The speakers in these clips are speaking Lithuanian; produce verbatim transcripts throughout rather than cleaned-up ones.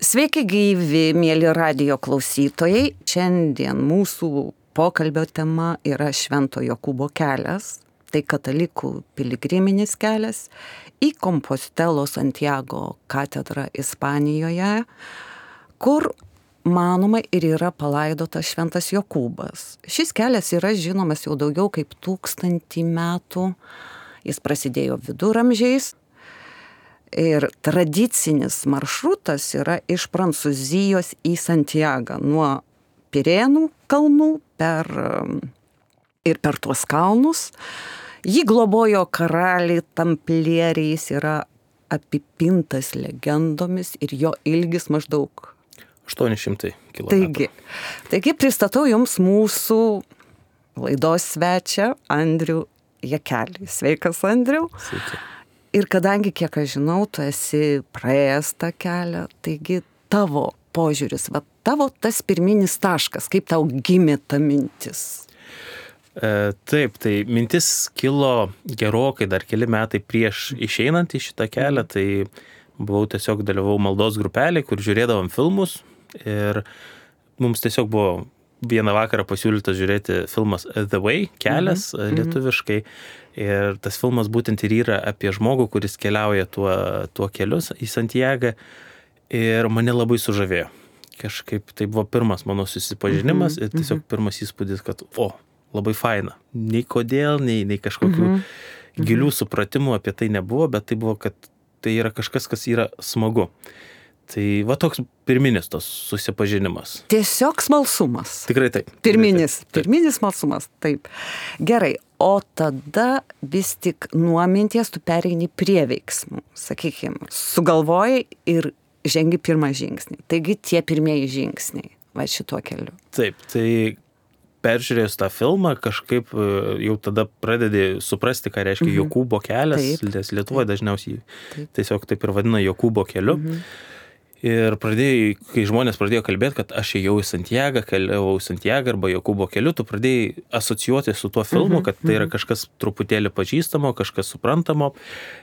Sveiki gyvi, mėly radijo klausytojai. Šiandien mūsų pokalbio tema yra Švento Jokūbo kelias. Tai katalikų piligriminis kelias į Kompostelo Santiago katedrą Ispanijoje, kur manoma ir yra palaidotas Šventas Jokūbas. Šis kelias yra žinomas jau daugiau kaip tūkstantį metų. Jis prasidėjo viduramžiais. Ir tradicinis maršrutas yra iš Prancūzijos į Santiagą, nuo Pirėnų kalnų per, ir per tuos kalnus. Jį globojo karaliai tamplieriai, jis yra apipintas legendomis ir jo ilgis maždaug aštuoni šimtai kilometrų. Taigi, taigi pristatau jums mūsų laidos svečią Andrių Jakelį. Sveikas, Andriau. Sveiki. Ir kadangi, kiek aš žinau, tu esi praėjęs tą kelią, taigi tavo požiūris, va, tavo tas pirminis taškas, kaip tau gimė ta mintis? E, taip, tai mintis kilo gerokai dar keli metai prieš išeinant į šitą kelią, tai buvau tiesiog dalyvau maldos grupelį, kur žiūrėdavom filmus ir mums tiesiog buvo vieną vakarą pasiūlytas žiūrėti filmas The Way, kelias mm-hmm. lietuviškai. Ir tas filmas būtent ir yra apie žmogų, kuris keliauja tuo, tuo kelius į Santiagą. Ir mane labai sužavėjo. Kažkaip tai buvo pirmas mano susipažinimas mm-hmm. ir tiesiog pirmas įspūdis, kad o, labai faina. Nei kodėl, nei, nei kažkokių mm-hmm. gilių supratimų apie tai nebuvo, bet tai buvo, kad tai yra kažkas, kas yra smagu. Tai va toks pirminis tos susipažinimas. Tiesiog smalsumas. Tikrai taip. Pirminis, taip. pirminis smalsumas, taip. Gerai, o tada vis tik nuo minties tu pereini prie veiksmų, sakykime, sugalvojai ir žengi pirmą žingsnį. Taigi tie pirmieji žingsniai, va šituo keliu. Taip, tai peržiūrėjus tą filmą, kažkaip jau tada pradedi suprasti, ką reiškia mhm. Jokūbo kelias, taip, nes Lietuvoje dažniausiai taip. Tiesiog taip ir vadina Jokūbo keliu. Mhm. Ir pradėjai, kai žmonės pradėjo kalbėti, kad aš ėjau į Santiagą, keliavau į Santiagą arba Jokūbo keliu, tu pradėjai asocijuoti su tuo filmu, kad tai yra kažkas truputėlį pažįstamo, kažkas suprantamo.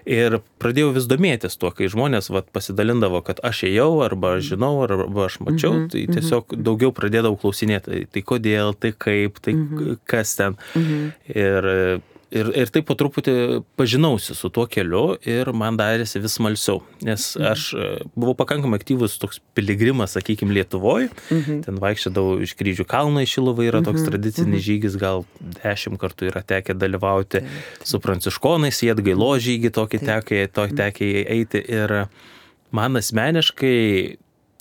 Ir pradėjau vis domėtis tuo, kai žmonės vat, pasidalindavo, kad aš ėjau arba aš žinau, arba aš mačiau, mhm, tai tiesiog mhm. daugiau pradėdavau klausinėti, tai kodėl, tai kaip, tai mhm. kas ten. Mhm. Ir Ir, ir taip po truputį pažinausi su tuo keliu ir man darėsi vis smalsiau, nes aš buvau pakankamai aktyvus toks piligrimas, sakykime, Lietuvoje, mhm. ten vaikščiodavau iš Kryžių kalno į Šiluvą, yra toks mhm. tradicinis mhm. žygis, gal dešimt kartų yra tekę dalyvauti taip, taip. Su pranciškonais, į Atgailo žygį tokį tekę, tokį tekę eiti ir man asmeniškai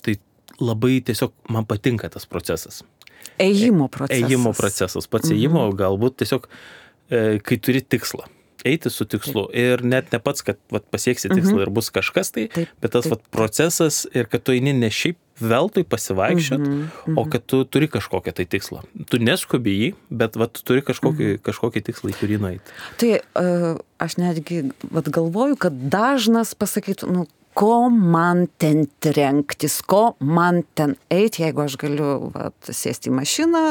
tai labai tiesiog man patinka tas procesas. Ėjimo procesas. Ėjimo procesas, pats mhm. ėjimo galbūt tiesiog kai turi tikslą, eiti su tikslu taip. Ir net ne pats, kad vat, pasieksi tikslą mhm. ir bus kažkas tai, taip, bet tas taip. Vat, procesas ir kad tu eini ne šiaip veltui pasivaikščiot, mhm. Mhm. o kad tu turi kažkokią tai tikslą. Tu neskubi jį, bet vat, tu turi kažkokį, mhm. kažkokį tikslą, į kurį nueiti. Tai uh, aš netgi vat, galvoju, kad dažnas pasakytų, nu, ko man ten trenktis, ko man ten eiti, jeigu aš galiu vat, sėsti į mašiną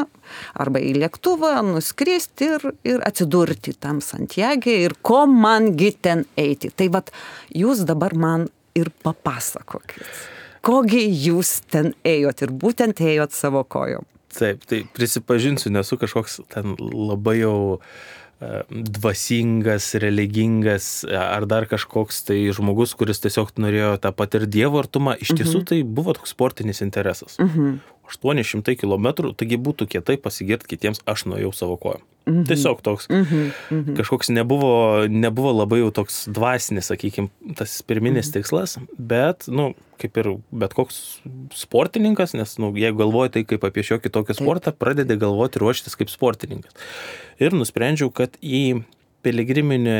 arba į lėktuvą, nuskristi ir, ir atsidurti tam Santiagė ir ko mangi ten eiti. Tai vat, jūs dabar man ir papasakokit, kogi jūs ten ėjot ir būtent ėjot savo kojom. Taip, tai prisipažinsiu, nesu kažkoks ten labai jau dvasingas, religingas ar dar kažkoks tai žmogus, kuris tiesiog norėjo tą patirti Dievo artumą. Iš tiesų mhm. tai buvo toks sportinis interesas. Mhm. aštuoni šimtai kilometrų, taigi būtų kietai pasigirti kitiems, aš nuėjau savo kojom. Mhm. Tiesiog toks mhm. Mhm. kažkoks nebuvo, nebuvo labai jau toks dvasinis, sakykime, tas pirminis mhm. tikslas, bet, nu, kaip ir bet koks sportininkas, nes, nu, jeigu galvoji tai kaip apie šiokį tokį sportą, pradedi galvoti ruoštis kaip sportininkas. Ir nusprendžiau, kad į piligriminį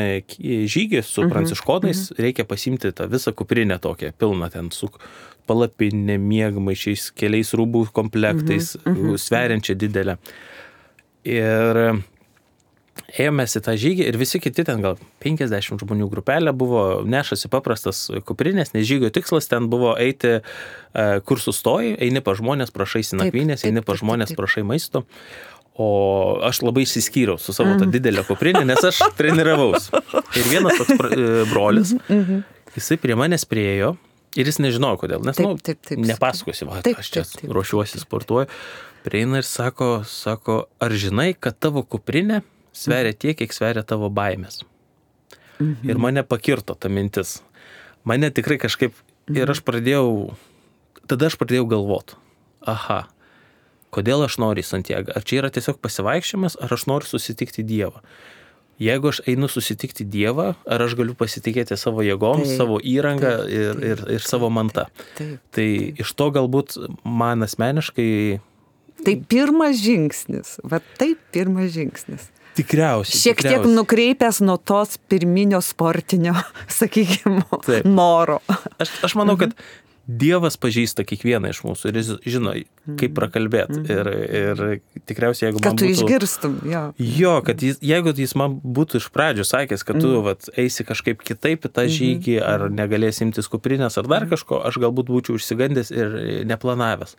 žygį su mhm. pranciškonais mhm. reikia pasimti tą visą kuprinę tokią, pilną ten su palapinė, miegmaišiais, keliais rūbų komplektais, mhm. Mhm. sveriančią didelę. Ir ėjomės į tą žygį ir visi kiti ten gal penkiasdešimt žmonių grupelė buvo, nešasi paprastas kuprinės, nes žygio tikslas ten buvo eiti, kur sustoji, eini pa žmonės, prašai nakvynės, eini pa žmonės, prašai maisto. O aš labai išsiskyriau su savo tą didelę kuprinę, nes aš treniravaus. Ir vienas toks brolis, jisai prie manęs priejo Ir jis nežinojo, kodėl, nes, taip, nu, taip, taip, nepasakosiu, va, taip, aš čia taip, taip, ruošiuosi, taip, taip. sportuoju. Prieina ir sako, sako, ar žinai, kad tavo kuprinė sveria tiek, kiek sveria tavo baimės. Mhm. Ir mane pakirto ta mintis. Mane tikrai kažkaip, ir aš pradėjau, tada aš pradėjau galvoti, aha, kodėl aš noriu į Santiagą? Ar čia yra tiesiog pasivaikščiojimas, ar aš noriu susitikti Dievą? Jeigu aš einu susitikti Dievą, ar aš galiu pasitikėti savo jėgoms, taip, savo įrangą taip, ir, taip, ir, ir savo mantą? Taip, taip, tai taip. Iš to galbūt man asmeniškai... Tai pirmas žingsnis, va taip pirmas žingsnis. Tikriausiai. Šiek tikriausiai. tiek nukreipęs nuo tos pirminio sportinio, sakykime, taip. Noro. Aš, aš manau, kad Dievas pažįsta kiekvieną iš mūsų ir jis žino, kaip prakalbėti. Mm-hmm. Ir, ir tikriausiai, jeigu kad man būtų... Kad tu išgirstum, jo. Jo, kad jis, jeigu jis man būtų iš pradžių sakęs, kad tu mm-hmm. vat, eisi kažkaip kitaip į tą žygį, mm-hmm. ar negalėsi imtis kuprinės, ar dar kažko, aš galbūt būčiau išsigandęs ir neplanavęs.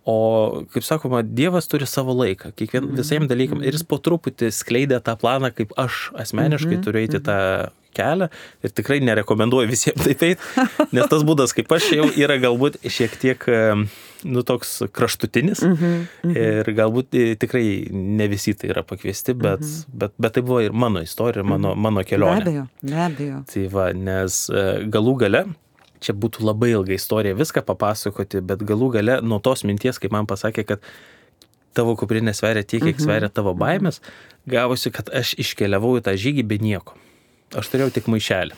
O, kaip sakoma, Dievas turi savo laiką, kiekvien, visiems dalykam, ir jis po truputį skleidė tą planą, kaip aš asmeniškai mm-hmm. turiu eiti tą kelią, ir tikrai nerekomenduoju visiems taip eiti, nes tas būdas, kaip aš jau, yra galbūt šiek tiek, nu, toks kraštutinis, mm-hmm. ir galbūt tikrai ne visi tai yra pakviesti, bet, mm-hmm. bet, bet tai buvo ir mano istorija, mano, mano kelionė. Be abejo, be abejo. Tai va, nes galų gale, čia būtų labai ilga istorija viską papasakoti, bet galų gale nuo tos minties, kaip man pasakė, kad tavo kuprinė sveria tiek, kiek Mhm. sveria tavo baimės, gavosi, kad aš iškeliavau į tą žygį be nieko. Aš turėjau tik maišelį,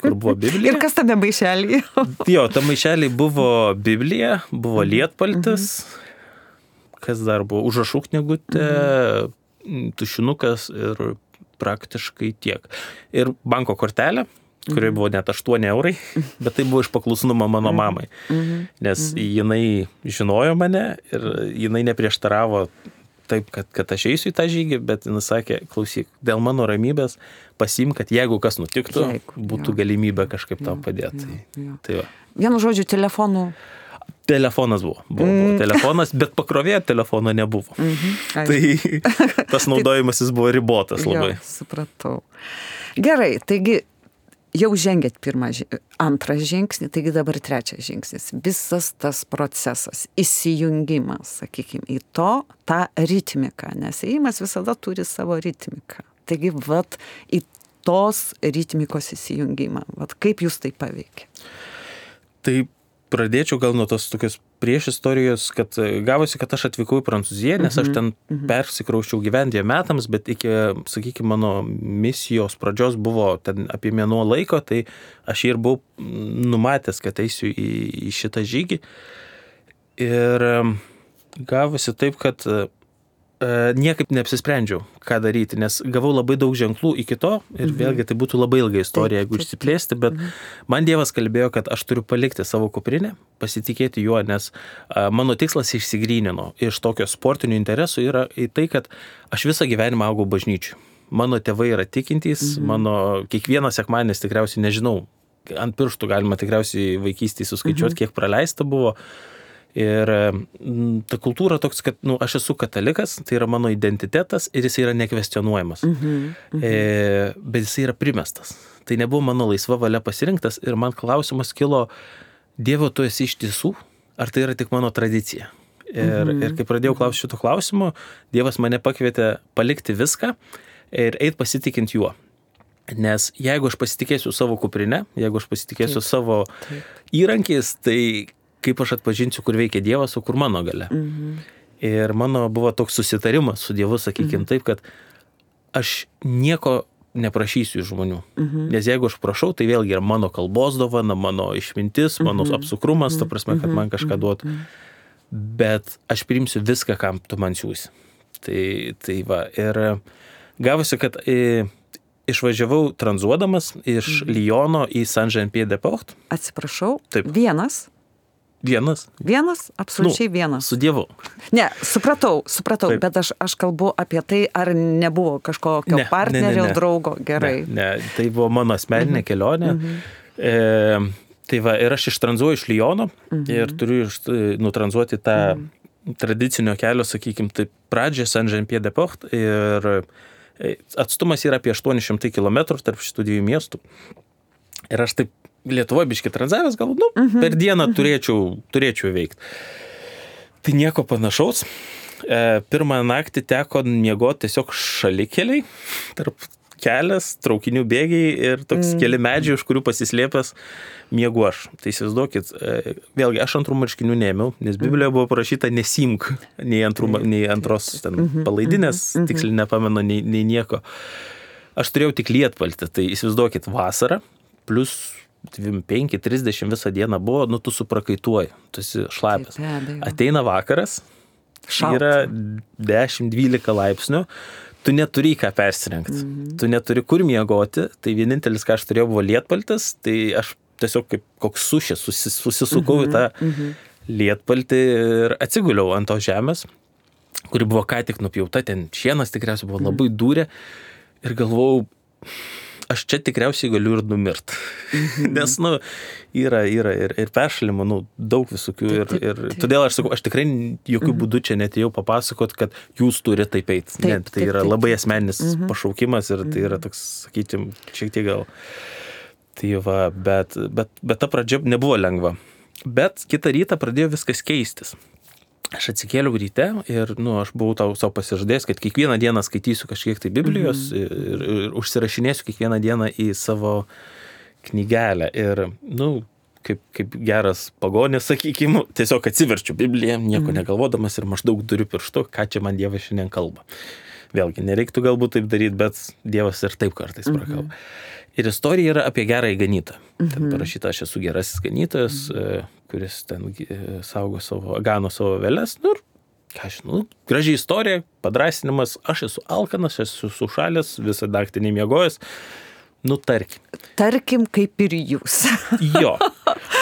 kur buvo Biblija. Ir kas tame maišelį? Jo, ta maišelį buvo Biblija, buvo lietpaltis, kas dar buvo, užrašų knygutė, tušinukas ir praktiškai tiek. Ir banko kortelė, kurioje buvo net aštuoni eurai, bet tai buvo iš paklusnumo mano mamai. Nes jinai žinojo mane ir jinai neprieštaravo taip, kad, kad aš eisiu į tą žygį, bet jinai sakė, klausyk, dėl mano ramybės pasiimk, kad jeigu kas nutiktų, jeigu, būtų jo. Galimybė kažkaip tam padėti. Jo, jo. Tai va. Vienu žodžiu, telefonų. Telefonas buvo, buvo, buvo telefonas, bet pakrovėjo telefono nebuvo. Mhm. Tai tas naudojimasis buvo ribotas labai. Jo, supratau. Gerai, taigi jau žengėt pirmą, antrą žingsnį, taigi dabar trečias žingsnis. Visas tas procesas, įsijungimas, sakykime, į to, tą ritmiką, nes ėjimas visada turi savo ritmiką. Taigi, vat, į tos ritmikos įsijungimą, vat, kaip jūs tai paveikia? Tai pradėčiau gal nuo tos tokios prieš istorijos, kad gavosi, kad aš atvykau į Prancūziją, nes aš ten persikrauščiau gyventi metams, bet iki, sakykime, mano misijos pradžios buvo ten apie mėnuo laiko, tai aš ir buvau numatęs, kad eisiu į, į šitą žygį. Ir gavosi taip, kad niekaip neapsisprendžiau, ką daryti, nes gavau labai daug ženklų iki to ir mhm. vėlgi tai būtų labai ilga istorija, jeigu išsiplėsti, bet mhm. man Dievas kalbėjo, kad aš turiu palikti savo kuprinę, pasitikėti juo, nes a, mano tikslas išsigrynino iš tokio sportinių interesų yra į tai, kad aš visą gyvenimą augau bažnyčių. Mano tėvai yra tikintys, mhm. mano kiekvienas sekmadienis tikriausiai, nežinau, ant pirštų galima tikriausiai vaikystėje suskaičiuoti, mhm. kiek praleista buvo. Ir ta kultūra toks, kad nu, aš esu katalikas, tai yra mano identitetas ir jis yra nekvestionuojamas. Mhm, mhm. E, bet jis yra primestas. Tai nebuvo mano laisva valia pasirinktas ir man klausimas kilo, Dievo, tu esi iš tiesų, ar tai yra tik mano tradicija? Ir, mhm. ir kai pradėjau klausyti šito klausimo, Dievas mane pakvietė palikti viską ir eit pasitikint juo. Nes jeigu aš pasitikėsiu savo kuprinę, jeigu aš pasitikėsiu taip, savo taip. Įrankiais, tai kaip aš atpažinsiu, kur veikia Dievas, o kur mano galia. Mhm. Ir mano buvo toks susitarimas su Dievu, sakykime mhm. taip, kad aš nieko neprašysiu iš žmonių. Mhm. Nes jeigu aš prašau, tai vėlgi yra mano kalbos dovana, mano išmintis, mano mhm. apsukrumas, ta prasme, kad man kažką duotų. Bet aš priimsiu viską, kam tu man siūsi. Tai, tai va, ir gavosi, kad e, išvažiavau tranzuodamas iš mhm. Lyono į Saint-Jean-Pied-de-Port. Atsiprašau, taip. Vienas? Vienas. Vienas? Absoliučiai nu, vienas. Su Dievu. Ne, supratau, supratau, taip. Bet aš, aš kalbu apie tai, ar nebuvo kažkokio ne, partnerio, ne, ne, ne. draugo, gerai. Ne, ne, tai buvo mano asmeninė mhm. kelionė. Mhm. E, tai va, ir aš ištranzuoju iš Lyono mhm. ir turiu iš, nutranzuoti tą mhm. tradicinio kelio, sakykime, tai pradžią Saint-Jean-Pied-de-Port ir atstumas yra apie aštuoni šimtai kilometrų tarp šitų dviejų miestų. Ir aš taip Lietuvoje biški tranzavęs, galbūt, nu, uh-huh, per dieną uh-huh. turėčiau, turėčiau veikti. Tai nieko panašaus. E, pirmą naktį teko miegoti tiesiog šalikeliai, tarp kelias, traukinių bėgiai ir toks mm. keli medžiai, už kurių pasislėpęs miegu aš. Tai įsivaizduokit, e, vėlgi aš antrų marškinių neėmiau, nes Biblijoje buvo parašyta nesimk, nei, antrų, nei antros ten, palaidinės, mm-hmm. tiksliai nepamenu, nei, nei nieko. Aš turėjau tik lietpaltį, tai įsivaizduokit, vasara, plus dvidešimt penki trisdešimt visą dieną buvo, nu tu suprakaituoji, tu esi šlapęs. Ateina vakaras, šalta. Yra dešimt dvylika laipsnių, tu neturi ką persirengti, mm-hmm. tu neturi kur miegoti, tai vienintelis, ką aš turėjau, buvo lietpaltis, tai aš tiesiog kaip koks sušis susis, susisukau mm-hmm. į tą mm-hmm. lietpaltį ir atsiguliau ant tos žemės, kuri buvo ką tik nupjauta, ten šienas tikriausiai buvo labai dūrė ir galvojau, aš čia tikriausiai galiu ir numirt. Mm-hmm. Nes, nu, yra, yra ir, ir peršalimo, nu, daug visokių. Ir, ir todėl aš sakau, aš tikrai jokių mm-hmm. būdų čia netėjau papasakot, kad jūs turite taip eiti. Ne, tai yra taip, labai asmeninis mm-hmm. pašaukimas ir tai yra toks, sakykim, šiek tiek gal. Tai va, bet, bet, bet ta pradžia nebuvo lengva. Bet kitą rytą pradėjo viskas keistis. Aš atsikėliau ryte ir, nu, aš buvau tau savo pasižadėjęs, kad kiekvieną dieną skaitysiu kažkiek tai Biblijos mm-hmm. ir, ir, ir užsirašinėsiu kiekvieną dieną į savo knygelę. Ir, nu, kaip, kaip geras pagonis, sakykime, tiesiog atsiverčiu Bibliją, nieko mm-hmm. negalvodamas ir maždaug duriu pirštu, ką čia man Dievas šiandien kalba. Vėlgi, nereiktų galbūt taip daryti, bet Dievas ir taip kartais prakalba. Mm-hmm. Ir istorija yra apie gerąjį ganytoją. Mm-hmm. Ten parašyta, aš esu gerasis ganytojas, mm-hmm. kuris ten saugo savo, gano savo veles. Nu, ką aš, nu, gražiai istorija, padrasinimas, aš esu alkanas, aš esu sušalęs, visą naktį nemiegojęs. Nu, tarkim. Tarkim, kaip ir jūs. Jo.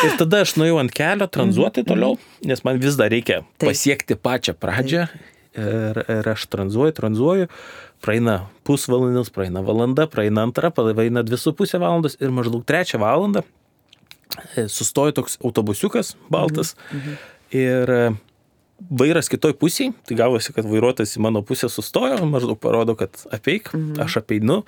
Ir tada aš nuėjau ant kelio tranzuoti toliau, nes man vis dar reikia Taip. Pasiekti pačią pradžią. Ir, ir aš tranzuoju, tranzuoju. Praeina pusvalandis, praeina valanda, praeina antra, praeina dvi su pusė valandos ir maždaug trečią valandą sustojo toks autobusiukas baltas mm-hmm. ir vairas kitoj pusėj, tai gavosi, kad vairuotojas į mano pusę sustojo, maždaug parodo, kad apeik, mm-hmm. aš apeinu,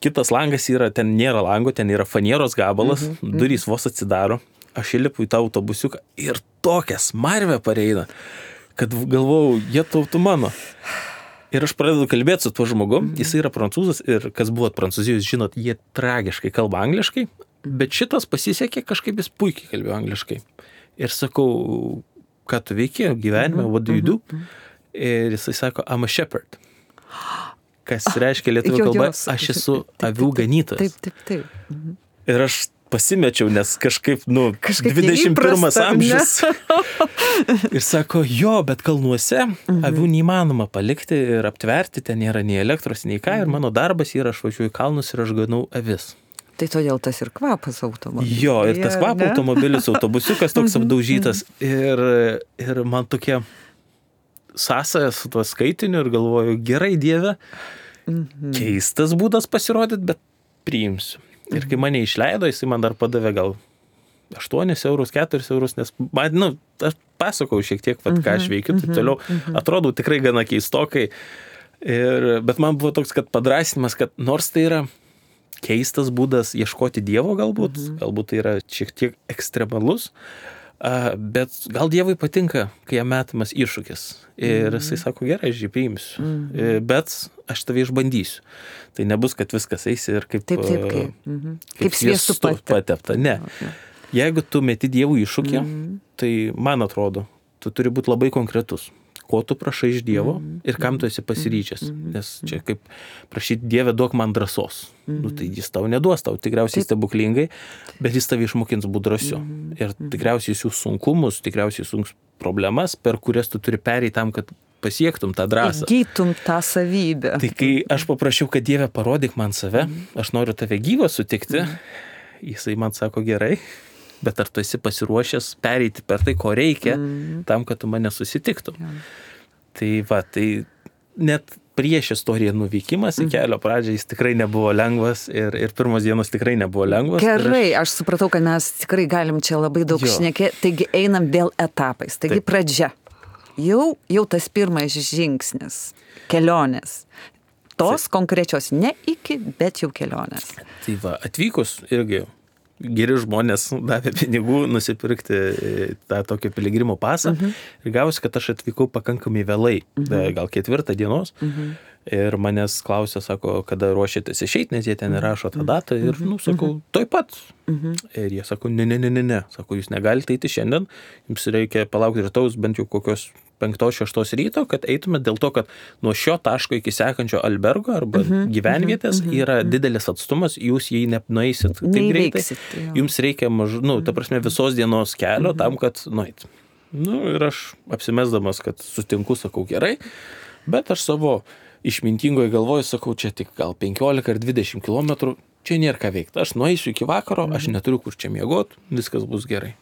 kitas langas yra, ten nėra lango, ten yra fanieros gabalas, mm-hmm. durys vos atsidaro, aš įlipu į tą autobusiuką ir tokia smarvė pareina, kad galvojau, jie tautų mano. Ir aš pradedu kalbėti su tuo žmogum, mm-hmm. jis yra prancūzas ir kas buvot Prancūzijos, žinot, jie tragiškai kalba angliškai, bet šitas pasisekė, kažkaip jis puikiai kalbėjo angliškai. Ir sakau, ką tu veiki gyvenime, mm-hmm. what do you do? Ir jisai sako, I'm a shepherd. Kas reiškia lietuvių kalba, aš esu avių ganytojas. Taip, taip, taip. Mhm. Ir aš pasimečiau, nes kažkaip, nu, kažkaip dvidešimt pirmas amžius. Ir sako, jo, bet kalnuose mhm. avių neįmanoma palikti ir aptverti, ten nėra nei elektros, nei ką, ir mano darbas yra, aš važiuoju į kalnus ir aš ganau avis. Tai todėl tas ir kvapas automobilis. Jo, ir tas kvapo ne? Automobilis, autobusiukas toks apdaužytas. Ir, ir man tokia sąsaja su tuo skaitiniu ir galvoju, gerai Dieve, mhm. keistas būdas pasirodyti, bet priimsiu. Ir kai mane išleido, jisai man dar padavė gal aštuonis eurus, keturis eurus, nes man, nu, aš pasakau šiek tiek, vat, ką aš veikiu, taip toliau, atrodau tikrai gana keistokai. Ir, bet man buvo toks, kad padrasinimas, kad nors tai yra keistas būdas ieškoti Dievo galbūt, mhm. galbūt tai yra šiek tiek ekstremalus, bet gal Dievui patinka, kai jam metamas iššūkis. Ir jisai sako, gerai, aš jį priimsiu, mhm. bet aš tave išbandysiu. Tai nebus, kad viskas eisi ir kaip, taip, taip, kaip, mhm. kaip, kaip sviestu patepta. Ne. Okay. Jeigu tu meti Dievų iššūkį, mhm. tai man atrodo, tu turi būti labai konkretus. Ko tu prašai iš Dievo mm-hmm. ir kam tu esi pasiryžęs. Mm-hmm. Nes čia kaip prašyti Dieve, duok man drąsos. Mm-hmm. Nu, tai jis tau neduos, tau tikriausiai stebuklingai, bet jis tave išmokins būt drąsiu. Mm-hmm. Ir tikriausiai jis sunkumus, tikriausiai sunkus problemas, per kurias tu turi pereiti tam, kad pasiektum tą drąsą. Įgytum tą savybę. Tai kai aš paprašiau, kad Dieve parodyk man save, mm-hmm. aš noriu tave gyvą sutikti, mm-hmm. jisai man sako gerai, bet ar tu esi pasiruošęs pereiti per tai, ko reikia, mm. tam, kad tu mane susitiktum. Ja. Tai va, tai net prieš istoriją nuvykimas į kelio pradžią jis tikrai nebuvo lengvas ir, ir pirmos dienos tikrai nebuvo lengvas. Gerai, aš... aš supratau, kad mes tikrai galim čia labai daug šnekėti, taigi einam vėl etapais. Taigi Taip. Pradžia. Jau, jau tas pirmas žingsnis, kelionės. Tos Taip. Konkrečios, ne iki, bet jau kelionės. Tai va, atvykus irgi geri žmonės davė pinigų nusipirkti tą tokį piligrimo pasą. Mhm. Ir gavosi, kad aš atvykau pakankamai vėlai, mhm. gal ketvirtą dienos. Mhm. Ir manęs klausė, sako, kada ruošėtės išeiti, nes jie ten įrašo tą datą. Ir, nu, sakau, toj pat. Mhm. Ir jie sako, ne, ne, ne, ne, ne. Sako, jūs negalite eiti šiandien, jums reikia palaukti rytaus bent jau kokios penktos, šeštos ryto, kad eitume dėl to, kad nuo šio taško iki sekančio albergo arba mhm. gyvenvietės mhm. yra didelis atstumas, jūs jį nenueisit taip greitai. Jums reikia mažu, nu, ta prasme, visos dienos kelio mhm. tam, kad nueit. Nu, ir aš apsimesdamas, kad sutinku, sakau, gerai, bet aš savo išmintingoje galvoju, sakau, čia tik gal penkiolika ar dvidešimt kilometrų, čia nėra ką veikti. Aš nueisiu iki vakaro, aš neturiu kur čia miegot, viskas bus gerai.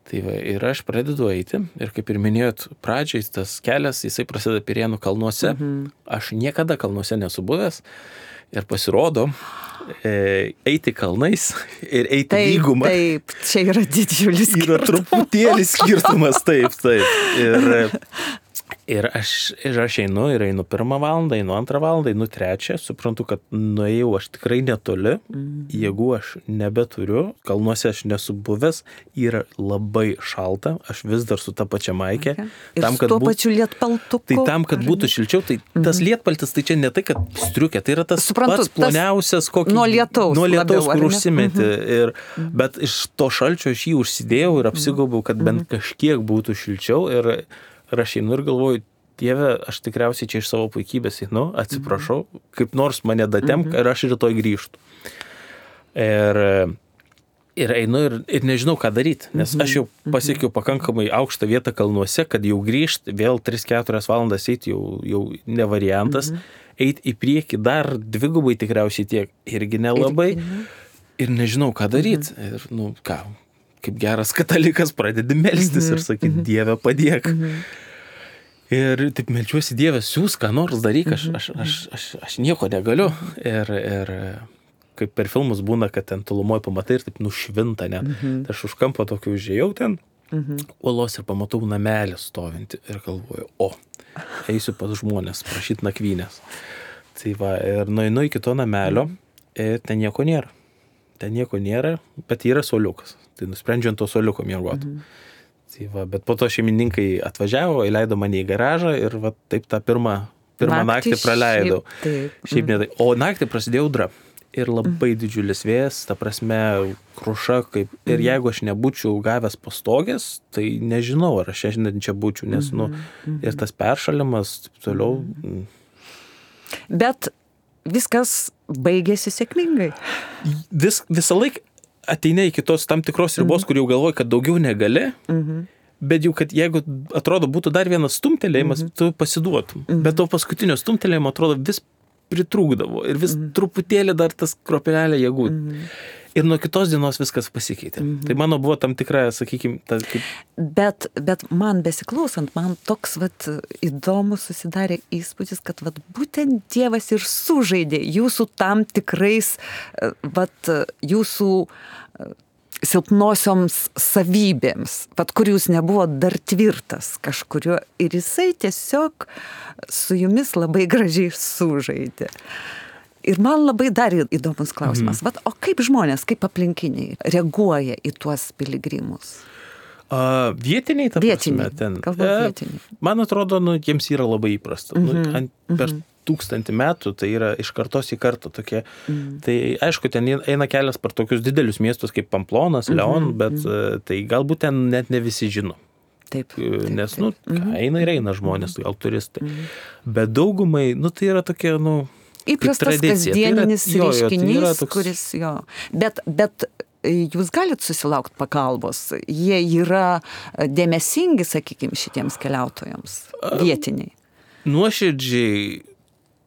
Tai va, ir aš pradedu eiti ir kaip ir minėjot pradžiai, tas kelias, jisai prasideda Pirėnų kalnuose. Mhm. Aš niekada kalnuose nesu buvęs ir pasirodo e, eiti kalnais ir eiti taip, lygumą. Taip, čia yra didžiulis skirtumas. Yra truputėlis skirtumas, taip, taip. Ir Ir aš, ir aš einu, ir einu pirmą valandą, einu antrą valandą, einu trečią, suprantu, kad nuėjau aš tikrai netoli, mm. jėgų aš nebeturiu, kalnuose aš nesu buvęs, yra labai šalta, aš vis dar su ta pačia maikė. Okay. Ir tam, su tuo būt... pačiu lietpaltuku. Tai tam, kad būtų šilčiau, tai mm. tas lietpaltis, tai čia ne tai, kad striukė, tai yra tas suprantu, pats ploniausias, kokį... Nuo lietaus. Nuo lietaus, labiau, kur užsimeti. Mm-hmm. Ir, bet iš to šalčio aš jį užsidėjau ir apsigaubiau, kad bent mm-hmm. kažkiek būtų šilčiau. Ir Ir aš einu ir galvoju, Dieve, aš tikriausiai čia iš savo puikybės einu, atsiprašau, mhm. kaip nors mane datemk mhm. ir aš rytoj grįžtu. Ir, ir einu ir, ir nežinau, ką daryti, nes mhm. aš jau pasiekiau pakankamai aukštą vietą kalnuose, kad jau grįžti, vėl tris keturias valandas eiti jau, jau ne variantas, mhm. eiti į priekį dar dvigubai tikriausiai tiek, irgi nelabai. Ir, ir nežinau, ką daryti. Mhm. Ir, nu, ką... kaip geras katalikas pradedi melstis mm-hmm. ir sakyti, mm-hmm. Dieve padėk. Mm-hmm. Ir taip melčiuosi, Dieve, siūs, ką nors daryk, aš, aš, aš, aš, aš nieko negaliu. Ir, ir kaip per filmus būna, kad ten tolumoje pamatai ir taip nušvinta net. Mm-hmm. Tai aš už kampo tokį užėjau ten, mm-hmm. uolos ir pamatau namelį stovinti ir galvoju, o, eisiu pas žmonės, prašyti nakvynės. Tai va, ir nueinu iki to namelio ir ten nieko nėra. Ten nieko nėra, bet yra suoliukas. Tai nusprendžiu ant to suoliuko miegoti. Mhm. Tai va, bet po to šeimininkai atvažiavo, įleido mane į garažą ir va, taip tą pirmą, pirmą naktį, naktį praleidau. Šiaip, taip. Šiaip ne, o naktį prasidėjo audra. Ir labai mhm. didžiulis vėjas, ta prasme, kruša. Kaip, ir mhm. jeigu aš nebūčiau gavęs pastogės, tai nežinau, ar aš šiandien čia būčiau, nes mhm. nu, ir tas peršalimas, toliau. Mhm. Bet viskas baigėsi sėkmingai. Vis, visą laiką ateina iki tos tam tikros ribos, mm-hmm. kur jau galvoji, kad daugiau negali, mm-hmm. bet jau, kad jeigu atrodo būtų dar vienas stumtelėjimas, mm-hmm. tu pasiduotum. Mm-hmm. Bet to paskutinio stumtelėjimo atrodo vis pritrūkdavo ir vis mm-hmm. truputėlį dar tas kropelelė jėgų. Mm-hmm. Ir nuo kitos dienos viskas pasikeitė. Mm-hmm. Tai mano buvo tam tikra, sakykime, ta, kaip... Bet, bet man besiklausant, man toks vat, įdomus susidarė įspūdis, kad vat, būtent Dievas ir sužaidė jūsų tam tikrais, vat, jūsų silpnosioms savybėms, vat, kur jūs nebuvo dar tvirtas kažkurio. Ir jisai tiesiog su jumis labai gražiai sužaidė. Ir man labai dar įdomus klausimas. Mm. Vat, o kaip žmonės, kaip aplinkiniai reaguoja į tuos piligrimus? Uh, vietiniai, ta vietiniai. Prasme, ten. Kalba vietiniai. Man atrodo, nu, jiems yra labai įprasta. Mm-hmm. Nu, ant, per mm-hmm. tūkstantį metų, tai yra iš kartos į kartą tokie. Mm-hmm. Tai aišku, ten eina kelias per tokius didelius miestus kaip Pamplonas, mm-hmm. Leon, bet mm-hmm. tai galbūt ten net ne visi žino. Taip. Nes, taip, nu, taip. eina ir eina žmonės, gal turistai. Mm-hmm. Bet daugumai, nu, tai yra tokie, nu, įprastas kasdieninis tai yra, reiškinys, jo, jo, tai toks... kuris jo. Bet, bet jūs galit susilaukti pagalbos. Jie yra dėmesingi, sakykime, šitiems keliautojams, vietiniai. Nuoširdžiai,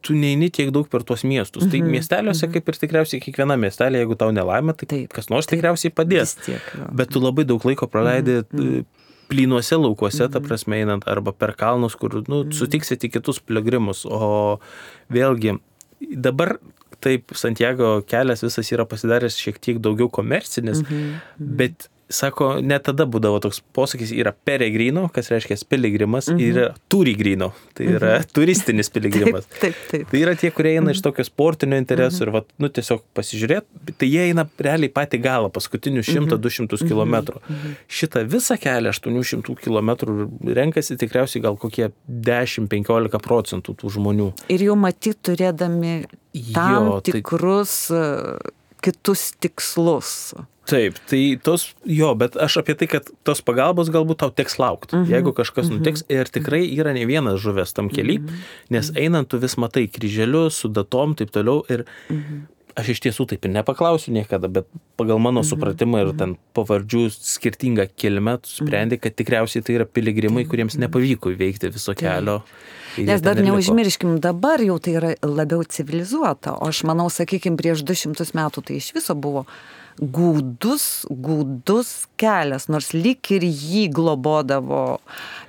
tu neini tiek daug per tuos miestus. Mm-hmm. Tai miesteliuose, mm-hmm. kaip ir tikriausiai kiekviena miestelė, jeigu tau nelaimė, tai taip, kas nors taip, tikriausiai padės. Tiek, bet tu labai daug laiko praleidi mm-hmm. plynuose laukuose, mm-hmm. ta prasme, einant, arba per kalnus, kur, nu, mm-hmm. sutiksite kitus piligrimus. O vėlgi, dabar taip Santiago kelias visas yra pasidaręs šiek tiek daugiau komercinis, mm-hmm. bet sako, net tada būdavo toks posakis, yra peregrino, kas reiškia piligrimas, mhm. ir yra turigrino, tai yra mhm. turistinis piligrimas. Taip, taip, taip. Tai yra tie, kurie eina mhm. iš tokio sportinio interesų mhm. ir, va, nu, tiesiog pasižiūrėti, tai jie eina realiai patį galą, paskutinius šimtą du šimtus kilometrų. Mhm. Šitą visą kelią aštuonių šimtų kilometrų renkasi tikriausiai gal kokie dešimt penkiolika procentų tų žmonių. Ir jau matyt turėdami tam jo, tikrus tai... kitus tikslus. Taip, tai tos, jo, bet aš apie tai, kad tos pagalbos galbūt tau teks laukti, mm-hmm. jeigu kažkas mm-hmm. nutiks, ir tikrai yra ne vienas žuvęs tam kely, mm-hmm. nes einant tu vis matai kryželius su datom, taip toliau, ir mm-hmm. aš iš tiesų taip ir nepaklausiu niekada, bet pagal mano mm-hmm. supratimą ir ten pavardžių skirtingą kilmę sprendi, kad tikriausiai tai yra piligrimai, kuriems nepavyko įveikti viso kelio. Nes dar neužmirškim, dabar jau tai yra labiau civilizuota, o aš manau, sakykime, prieš du šimtus metų tai iš viso buvo gūdus, gūdus kelias, nors lyg ir jį globodavo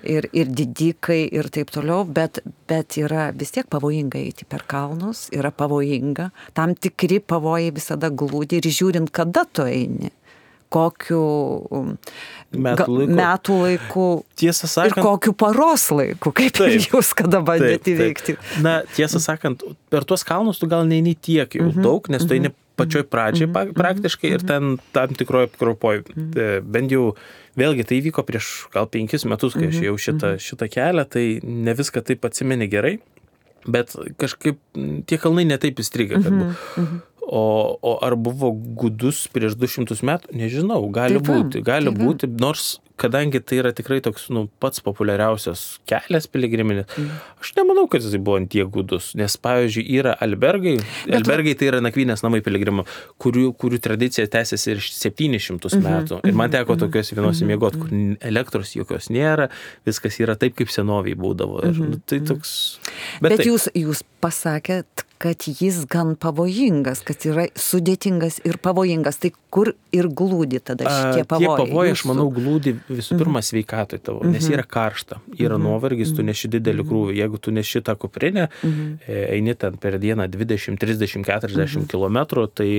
ir, ir didikai ir taip toliau, bet, bet yra vis tiek pavojinga eiti per kalnus, yra pavojinga, tam tikri pavojai visada glūdi ir žiūrint, kada tu eini. Kokiu metų laiku, metų laiku tiesą sakant, ir kokiu paros laiku, kaip taip, jūs kada bandėte įveikti. Na, tiesą sakant, per tuos kalnus tu gal neini tiek jau mm-hmm. daug, nes tu eini pačioj pradžiai mm-hmm. praktiškai ir ten tam tikroje apkropoj. Mm-hmm. Bent jau, vėlgi, tai įvyko prieš gal penkis metus, kai aš jau šitą, šitą kelią, tai ne viską taip atsimeni gerai, bet kažkaip tie kalnai netaip įstrigę, kad buvo. Mm-hmm. O, o ar buvo gudus prieš du šimtus metų? Nežinau, gali taip, būti, gali taip, būti, nors kadangi tai yra tikrai toks, nu, pats populiariausias kelias piligriminis, mm. aš nemanau, kad jis buvo ant tiek gudus, nes, pavyzdžiui, yra albergai, bet albergai tai yra nakvynės namai piligrimų, kurių, kurių tradicija tęsiasi ir septynis šimtus mm-hmm. metų. Ir man teko tokios vienos miegoti, kur elektros jokios nėra, viskas yra taip, kaip senoviai būdavo. Ir, mm-hmm. tai toks... Bet, bet jūs, jūs pasakėt, kad jis gan pavojingas, kad yra sudėtingas ir pavojingas. Tai kur ir glūdi tada šitie pavojai? Tie pavojai, aš manau, glūdi visų pirma mm-hmm. sveikatoj tavo, nes yra karšta, yra mm-hmm. nuovargis, tu neši didelį krūvį. Jeigu tu neši tą kuprinę, mm-hmm. eini ten per dieną dvidešimt, trisdešimt, keturiasdešimt mm-hmm. kilometrų, tai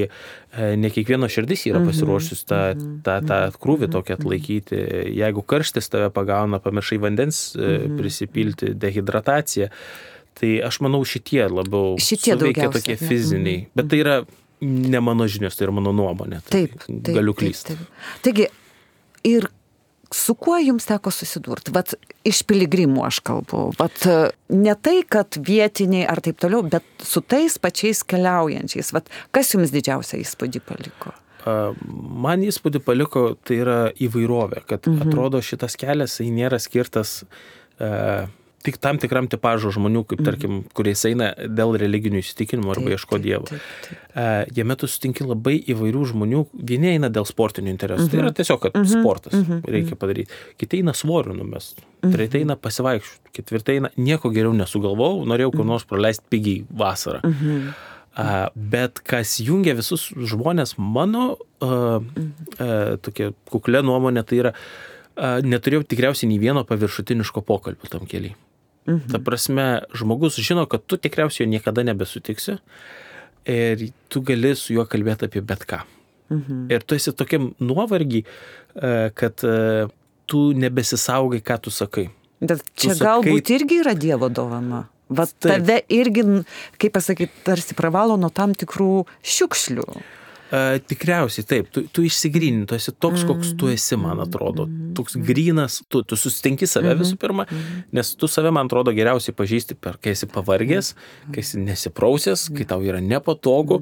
ne kiekvieno širdis yra pasiruošusi tą, tą, tą krūvį tokį atlaikyti. Jeigu karštis tave pagauna, pamiršai vandens mm-hmm. prisipilti, dehidratacija, tai aš manau šitie labiau šitie suveikia tokie fiziniai. Mm-hmm. Bet tai yra ne mano žinios, tai yra mano nuomonė. Tai taip, taip, galiu klysti. Taip, taip. Taigi, ir su kuo jums teko susidurti? Vat iš piligrimų aš kalbu. Vat ne tai, kad vietiniai ar taip toliau, bet su tais pačiais keliaujančiais. Vat kas jums didžiausią įspūdį paliko? Man įspūdį paliko, tai yra įvairovė, kad mm-hmm. atrodo šitas kelias, tai nėra skirtas uh, tik tam tikram tipažo žmonių, kaip tarkim, kuriais eina dėl religinių įsitikinimų arba ieško Dievo. Taip, taip, taip. Jame tu sutinki labai įvairių žmonių, vieni eina dėl sportinių interesų, mm-hmm. tai yra tiesiog, kad mm-hmm. sportas mm-hmm. reikia padaryti. Kiti eina svorių numest, mm-hmm. treti eina pasivaikščioti, ketvirti eina nieko geriau nesugalvojau, norėjau kur nors praleisti pigiai vasarą. Mm-hmm. Uh, bet kas jungia visus žmonės, mano uh, uh, tokia kuklė nuomonė, tai yra, uh, neturėjau tikriausiai nei vieno paviršutiniško pokalbio tam keliai. Mhm. Ta prasme, žmogus žino, kad tu tikriausiai jo niekada nebesutiksi ir tu gali su juo kalbėti apie bet ką. Mhm. Ir tu esi tokiam nuovargį, kad tu nebesisaugai, ką tu sakai. Bet čia tu galbūt sakai... irgi yra Dievo dovana. Vat tave irgi, kaip pasakyti, tarsi pravalo nuo tam tikrų šiukšlių. Uh, tikriausiai taip, tu, tu išsigrynini, tu esi toks, koks tu esi, man atrodo, toks grynas, tu, tu susitinki save visų pirma, nes tu save, man atrodo, geriausiai pažįsti, per, kai esi pavargęs, kai esi nesiprausęs, kai tau yra nepatogu,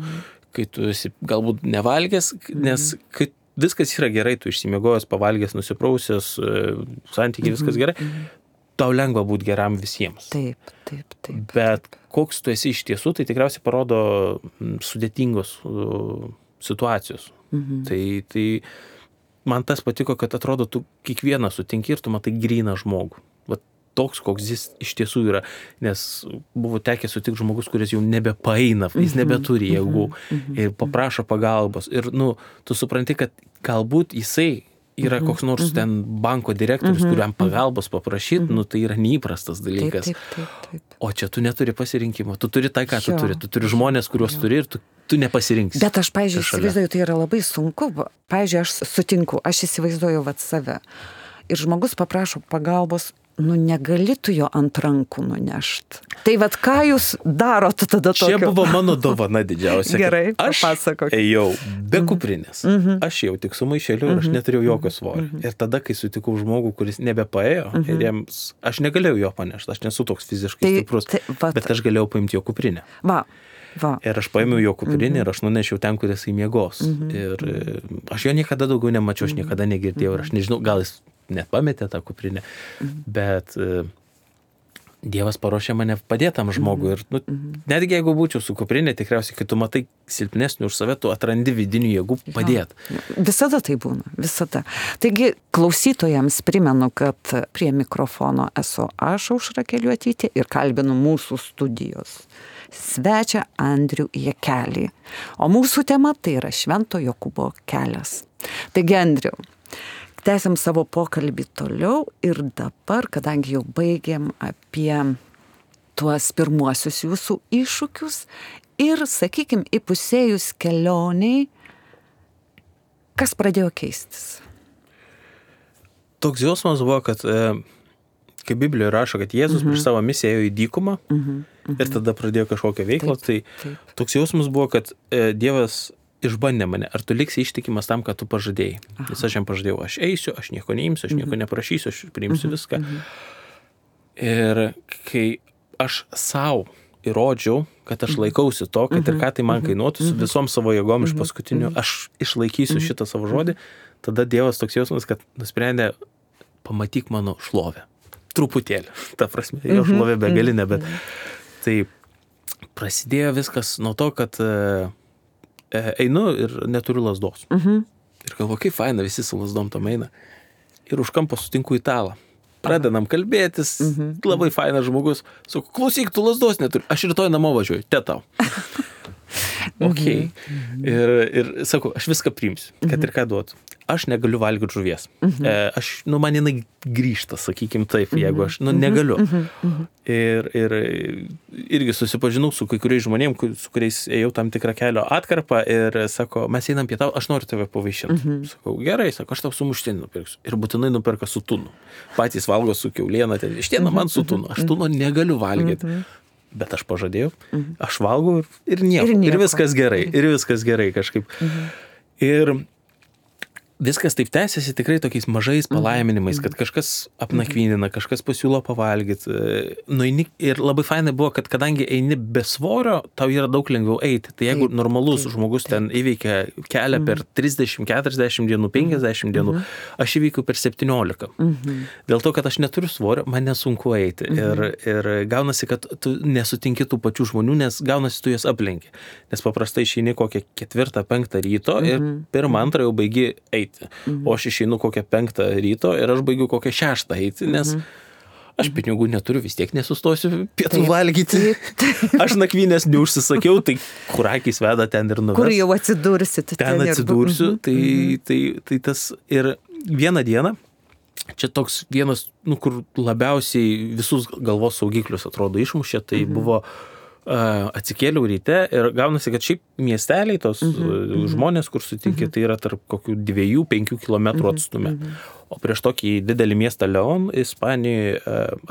kai tu esi galbūt nevalgęs, nes kai viskas yra gerai, tu išsimiegojęs, pavalgęs, nusiprausęs, santykiai, viskas gerai, tau lengva būti geram visiems. Taip, taip, taip. Bet koks tu esi iš tiesų, tai tikriausiai parodo sudėtingos situacijos. Mhm. Tai, tai man tas patiko, kad atrodo, tu kiekvieną sutinki ir tu matai gryną žmogų. Va toks, koks jis iš tiesų yra. Nes buvo tekę sutikti žmogus, kuris jau nebepaeina, jis nebeturi jėgų mhm. ir paprašo pagalbos. Ir, nu, tu supranti, kad galbūt jisai yra koks nors mm-hmm. ten banko direktorius, mm-hmm. kuriam pagalbos paprašyti, mm-hmm. nu tai yra neįprastas dalykas. Taip, taip, taip, taip. O čia tu neturi pasirinkimo, tu turi tai, ką jo. tu turi, tu turi žmonės, kuriuos jo. turi ir tu, tu nepasirinksi. Bet aš, pavyzdžiui, įsivaizduoju, tai yra labai sunku. Pavyzdžiui, aš sutinku, aš įsivaizduoju vat save. Ir žmogus paprašo pagalbos, nu negali tu jo ant rankų nunešti. Tai vat ką jūs darot tada tokio? Čia buvo mano dovana didžiausia. Gerai, aš papasakok. Ėjau be kuprinės. Mm-hmm. Aš jau tik su maišeliu ir aš neturėjau jokio svorio. Mm-hmm. Ir tada, kai sutikau žmogų, kuris nebepaėjo, mm-hmm. ir jiems, aš negalėjau jo panešti, aš nesu toks fiziškai tai, stiprus, tai, vat, bet aš galėjau paimti jo kuprinę. Va. Va. Ir aš paėmiau jo kuprinį mm-hmm. ir aš nunešiau ten, kur jisai miegos. Mm-hmm. Ir aš jo niekada daugiau nemačiau, aš niekada negirdėjau ir aš nežinau, gal jis net pametė tą kuprinę, mm-hmm. bet uh, Dievas paruošė mane padėtam žmogui. Ir nu, mm-hmm. netgi jeigu būčiau su kuprinė, tikriausiai, kai tu matai silpnesnių už save, tu atrandi vidinių jėgų padėti. Ja. Visada tai būna, visada. Taigi, klausytojams primenu, kad prie mikrofono esu aš, Aušra Keliuotytė, ir kalbinu mūsų studijos svečią Andrių Jakelį. O mūsų tema tai yra Švento Jokūbo kelias. Taigi, Andriau, tęsiam savo pokalbį toliau ir dabar, kadangi jau baigėm apie tuos pirmuosius jūsų iššūkius ir, sakykime, įpusėjus kelioniai, kas pradėjo keistis? Toks jausmas buvo, kad, kaip Biblijoje rašo, kad Jėzus mm-hmm. prieš savo misiją ėjo į dykumą mm-hmm. Mm-hmm. ir tada pradėjo kažkokią veiklą, taip, tai taip. Toks jausmas buvo, kad Dievas išbandė mane, ar tu liksi ištikimas tam, ką tu pažadėjai. Aha. Nes aš jam pažadėjau, aš eisiu, aš nieko neimsiu, aš nieko neprašysiu, aš priimsiu viską. Mhm. Ir kai aš savo įrodžiau, kad aš laikausi to, kad ir ką tai man kainuotų, su visom savo jėgom iš paskutinių, aš išlaikysiu šitą savo žodį, tada Dievas toks jausmas, kad nusprendė, pamatyk mano šlovę. Truputėlį. Ta prasme, jo šlovė begalinė, bet tai prasidėjo viskas nuo to, kad einu ir neturiu lazdos. Uh-huh. Ir galvoju, kaip faina, visi su lazdom tam eina. Ir už kampo sutinku italą. Pradedam kalbėtis, uh-huh. labai fainas žmogus. Sakau, klausyk, tu lazdos neturi. Aš rytoj namo važiuoju, te tau. Ok. Uh-huh. Ir, ir sakau, aš viską priimsiu, kad uh-huh. ir ką duotų. Aš negaliu valgyti žuvies. Uh-huh. E, aš, nu, man jinai grįžta, sakykim taip, uh-huh. jeigu aš, nu, negaliu. Uh-huh. Uh-huh. Ir, ir irgi susipažinau su kai kuriais žmonėm, su kuriais ėjau tam tikrą kelio atkarpą ir sako, mes einam pietau, aš noriu tave pavaišinti. Uh-huh. Sakau, gerai, sako, aš tau sumuštinį nupirksiu. Ir būtinai nuperka su tunu. Patys valgo su kiauliena, ten ištiena man su tunu. Aš tuno negaliu valgyti. Uh-huh. Bet aš pažadėjau, uh-huh. aš valgau ir nieko. Ir, nieko. Ir viskas gerai. Ir viskas gerai kažkaip. Uh-huh. Ir viskas taip tęsiasi tikrai tokiais mažais palaiminimais, kad kažkas apnakvynina, kažkas pasiūlo pavalgyti. Nueini, ir labai fainai buvo, kad kadangi eini be svorio, tau yra daug lengviau eiti. Tai jeigu taip, normalus taip, žmogus taip. ten įveikia kelią per trisdešimt keturiasdešimt dienų, penkiasdešimt dienų, aš įveikiu per septyniolika. Dėl to, kad aš neturiu svorio, man nesunku eiti. Ir, ir gaunasi, kad tu nesutinki tų pačių žmonių, nes gaunasi tu jas aplenki. Nes paprastai išeini kokią ketvirtą, penktą ryto ir pirmą, antrą jau baigi eiti. Mhm. O aš išeinu kokią penktą ryto ir aš baigiu kokią šeštą eiti, nes mhm. aš pinigų neturiu, vis tiek nesustosiu pietų taip, valgyti. Taip. Aš nakvynės neužsisakiau, tai kur akys veda ten ir nuves. Kur jau atsidursi. Ten, ten atsidursiu, mhm. tai, tai, tai tas ir vieną dieną, čia toks vienas, nu, kur labiausiai visus galvos saugiklius atrodo išmušė, tai mhm. buvo atsikėliau ryte ir gaunasi, kad šiaip miesteliai, tos mm-hmm. žmonės, kur sutinki, mm-hmm. tai yra tarp kokių dviejų, penkių kilometrų atstume. Mm-hmm. O prieš tokį didelį miestą Leon, Ispanijoje,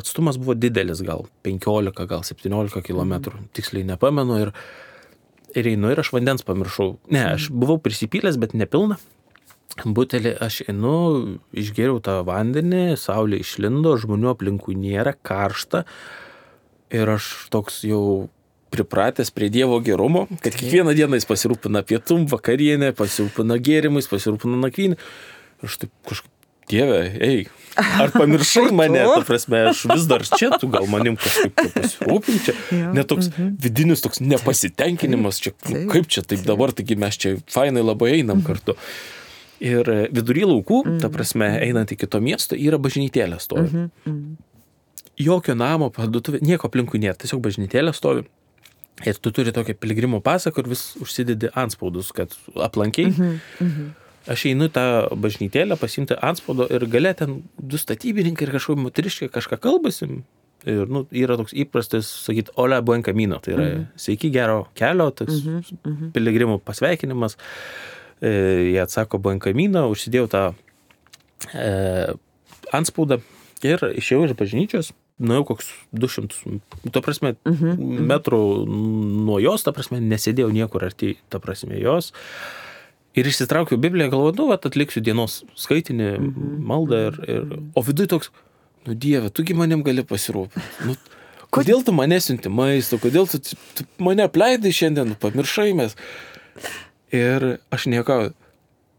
atstumas buvo didelis, gal penkiolika, gal septyniolika kilometrų, mm-hmm. tiksliai nepamenu. Ir, ir einu ir aš vandens pamiršau. Ne, aš buvau prisipylęs, bet nepilna. Butelį aš einu, išgėriau tą vandenį, saulė išlindo, žmonių aplinkui nėra, karšta. Ir aš toks jau pripratęs prie Dievo gerumo, kad kiekvieną dieną jis pasirūpina pietum, vakarienę, pasirūpina gėrimais, pasirūpina nakvynį. Ir aš taip kažkaip, Dieve, ei, ar pamiršai mane, ta prasme, aš vis dar čia, tu gal manim kažkaip pasirūpini čia. Net toks vidinis toks nepasitenkinimas, čia, kaip čia taip dabar, taigi mes čia fainai labai einam kartu. Ir vidury laukų, ta prasme, einant iki to miesto, yra bažnytėlė stovi. Jokio namo, parduotuvė, nieko aplinkui nėra, tiesiog bažnytėlė stovi. Ir tu turi tokią piligrimo pasą, kur vis užsidedi antspaudus, kad aplankiai. Mhm, mhm. aš einu tą bažnytėlę pasimti antspaudo ir gale ten du statybininkai ir kažkokie moteriškai kažką kalbasi. Ir nu, yra toks įprastas sakyti, hola buen camino, tai yra mm-hmm. sveiki gero kelio, toks mm-hmm. piligrimų pasveikinimas. E, jie atsako buen camino, užsidėjau tą e, antspaudą ir išėjau iš bažnyčios, nuėjau koks du šimtus, to prasme, mm-hmm. metrų nuo jos, ta prasme, nesėdėjau niekur arti, ta prasme, jos. Ir išsitraukiau Bibliją, galvoju, nu, vat, atliksiu dienos skaitinį, mm-hmm. maldą, ir, ir, o viduj toks, nu, Dieve, tugi manim gali pasirūpinti. Nu, kodėl tu mane siunti maisto, kodėl tu, tu mane apleidai šiandien, pamiršai mes. Ir aš niekau,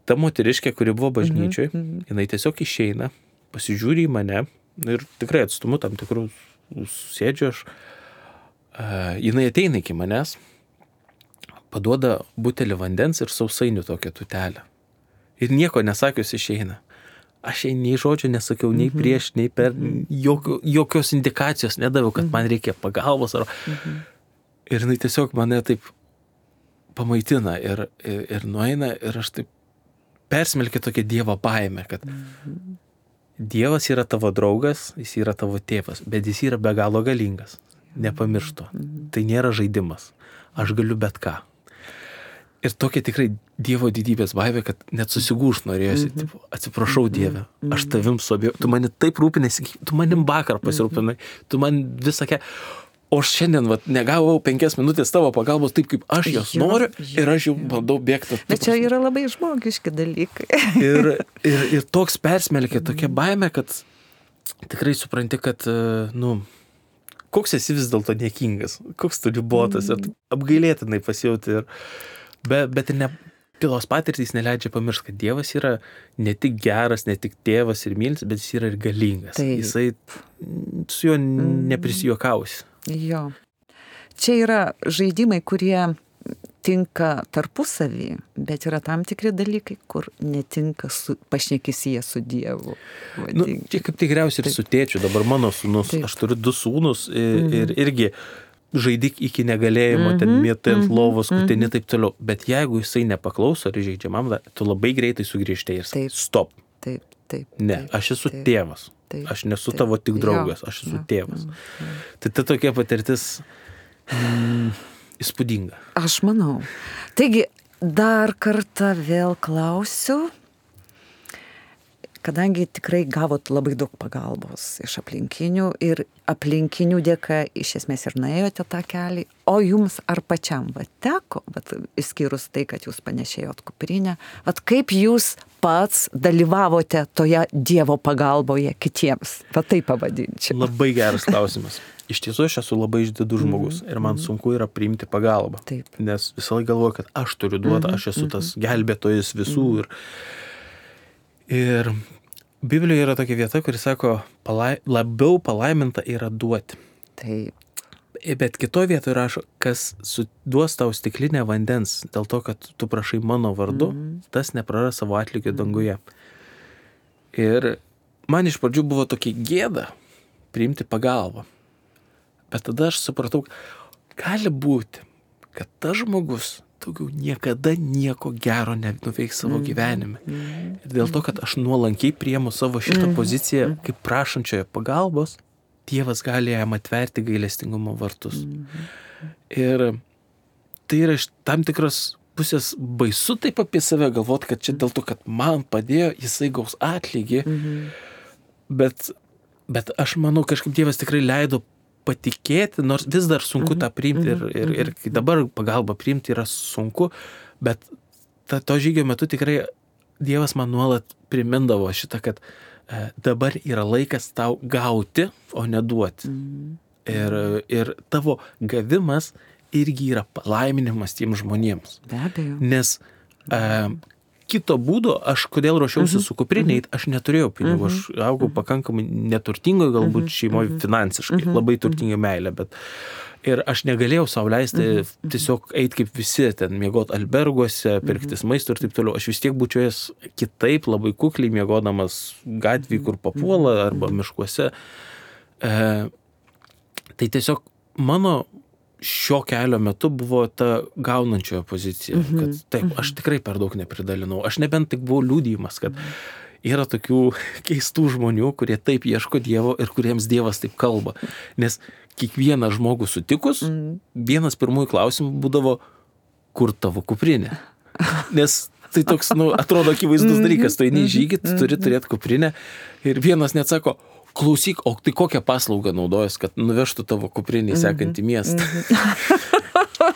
ta moteriškė, kuri buvo bažnyčioj, mm-hmm. jinai tiesiog išeina, pasižiūri į mane ir tikrai atstumu tam tikrų sėdžiu aš. Uh, jinai ateina iki manęs, paduoda butelį vandens ir sausainių tokią tutelę. Ir nieko nesakius išeina. Aš jai nei žodžio nesakiau, nei prieš, nei per, jokio, jokios indikacijos nedaviau, kad man reikia pagalbos. Ar... Mhm. Ir jinai tiesiog mane taip pamaitina ir, ir, ir nueina ir aš taip persmelkiu tokią Dievo baimę, kad mhm. Dievas yra tavo draugas, jis yra tavo tėvas, bet jis yra be galo galingas. Nepamirštu. Mhm. Tai nėra žaidimas. Aš galiu bet ką. Ir tokia tikrai Dievo didybės baimė, kad net susigūš norėjosi. Mm-hmm. Tipo, atsiprašau Dieve, aš tavim suabėjau. Tu mani taip rūpinėsi, tu manim vakar pasirūpinai, tu man visakė. O aš šiandien vat, negavau penkias minutės tavo pagalbos taip, kaip aš jos jo, noriu jo, ir aš jau bandau bėgti. Bet čia yra labai žmogiški dalykai. ir, ir, ir toks persmelkė, tokia baimė, kad tikrai supranti, kad, nu, koks esi vis dėlto niekingas, koks tu ribotas ir apgailėtinai pasijauti. Ir Bet, bet ir ne, pilos patirtys neleidžia pamiršti, kad Dievas yra ne tik geras, ne tik tėvas ir mylis, bet jis yra ir galingas. Taip. Jisai su juo neprisijuokausi. Jo. Čia yra žaidimai, kurie tinka tarpusavį, bet yra tam tikri dalykai, kur netinka su, pašnekisyje su Dievu. Nu, čia kaip tikriausiai ir su tėčiu. Dabar mano sūnus, Taip. Aš turiu du sūnus ir, mm. ir irgi žaidik iki negalėjimo, mm-hmm, ten mėtai ant lovos, mm-hmm. kutini taip toliau. Bet jeigu jisai nepaklauso ar žaidžiamam, tu labai greitai sugrįžti ir sakai, stop. Taip, taip. Ne, taip, aš esu taip, tėvas. Taip, aš nesu taip, tavo tik draugas, jo, aš esu jo, tėvas. jo, jo. Tai ta tokia patirtis mm, įspūdinga. Aš manau. Taigi, dar kartą vėl klausiu. Kadangi tikrai gavot labai daug pagalbos iš aplinkinių ir aplinkinių dėka iš esmės ir nuėjote tą kelią, o jums ar pačiam va teko, bet išskyrus tai, kad jūs panešėjot kuprinę, vat kaip jūs pats dalyvavote toje Dievo pagalboje kitiems, va taip pavadinčiau. Labai geras klausimas. Iš tiesų aš esu labai išdidus žmogus ir man sunku yra priimti pagalbą, taip. Nes visą laiką galvoju, kad aš turiu duoti, aš esu tas gelbėtojas visų ir Ir Biblijoje yra tokia vieta, kuri sako, palai, labiau palaiminta yra duoti. Taip. Bet kitoje vietoje rašo, kas duos tau stiklinę vandens, dėl to, kad tu prašai mano vardu, mm-hmm. tas nepraras savo atlygio danguje. Ir man iš pradžių buvo tokia gėda priimti pagalbą. Bet tada aš supratau, gali būti, kad tas žmogus daugiau niekada nieko gero nenuveiks savo gyvenime. Ir dėl to, kad aš nuolankiai priemu savo šitą poziciją kaip prašančioje pagalbos, Dievas gali jam atverti gailestingumo vartus. Ir tai yra iš tam tikros pusės baisu taip apie save galvoti, kad čia dėl to, kad man padėjo, jisai gaus atlygį. Bet, bet aš manau, kažkaip Dievas tikrai leido patikėti, nors vis dar sunku tą priimti ir, ir, ir dabar pagalbą priimti yra sunku, bet ta, to žygio metu tikrai Dievas man nuolat primindavo šitą, kad e, dabar yra laikas tau gauti, o ne duoti. Ir, ir tavo gavimas irgi yra palaiminimas tiems žmonėms. Be abejo. Nes e, kito būdo, aš kodėl ruošiausi uh-huh. su kupriniai, aš neturėjau pinigų, uh-huh. aš augau pakankamai neturtingoje, galbūt uh-huh. šeimoje finansiškai, uh-huh. labai turtinga meilė, bet ir aš negalėjau sau leisti uh-huh. tiesiog eiti kaip visi, ten miegoti alberguose, pirktis uh-huh. maisto ir taip toliau. Aš vis tiek būčiau jas kitaip, labai kukliai miegodamas gatvėje, kur papuola, arba miškuose. E, tai tiesiog mano šio kelio metu buvo ta gaunančiojo pozicija, mm-hmm. kad taip, mm-hmm. aš tikrai per daug nepridalinau. Aš nebent tik buvau liudijimas, kad yra tokių keistų žmonių, kurie taip ieško Dievo ir kuriems Dievas taip kalba. Nes kiekvieną žmogų sutikus, mm-hmm. vienas pirmųjų klausimų būdavo, kur tavo kuprinė? Nes tai toks, nu, atrodo akivaizdus dalykas, tu eini į žygį, tu turi turėti kuprinę ir vienas net sako, klausyk, o tai kokią paslaugą naudojas, kad nuvežtų tavo kuprinį į sekantį miestą.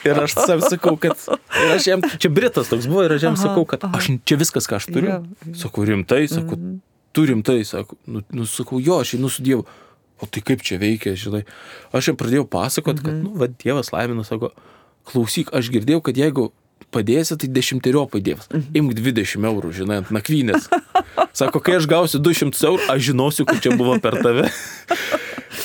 Ir aš sav sakau, kad ir aš jam, čia Britas toks buvo, ir aš jam sakau, kad aš čia viskas, ką aš turiu. Sakau, rimtai, sakau, tu rimtai, sakau, nu, nu sakau, jo, aš einu su Dievu. O tai kaip čia veikia, žinai. Aš jam pradėjau pasakot, kad, nu, va, Dievas laimina, sako, klausyk, aš girdėjau, kad jeigu padėsi, tai dešimteriopai Dievas. Imk dvidešimt eurų, žinai, ant nakvynės. Sako, kai aš gausiu du šimtus eurų, aš žinosiu, kad čia buvo per tave.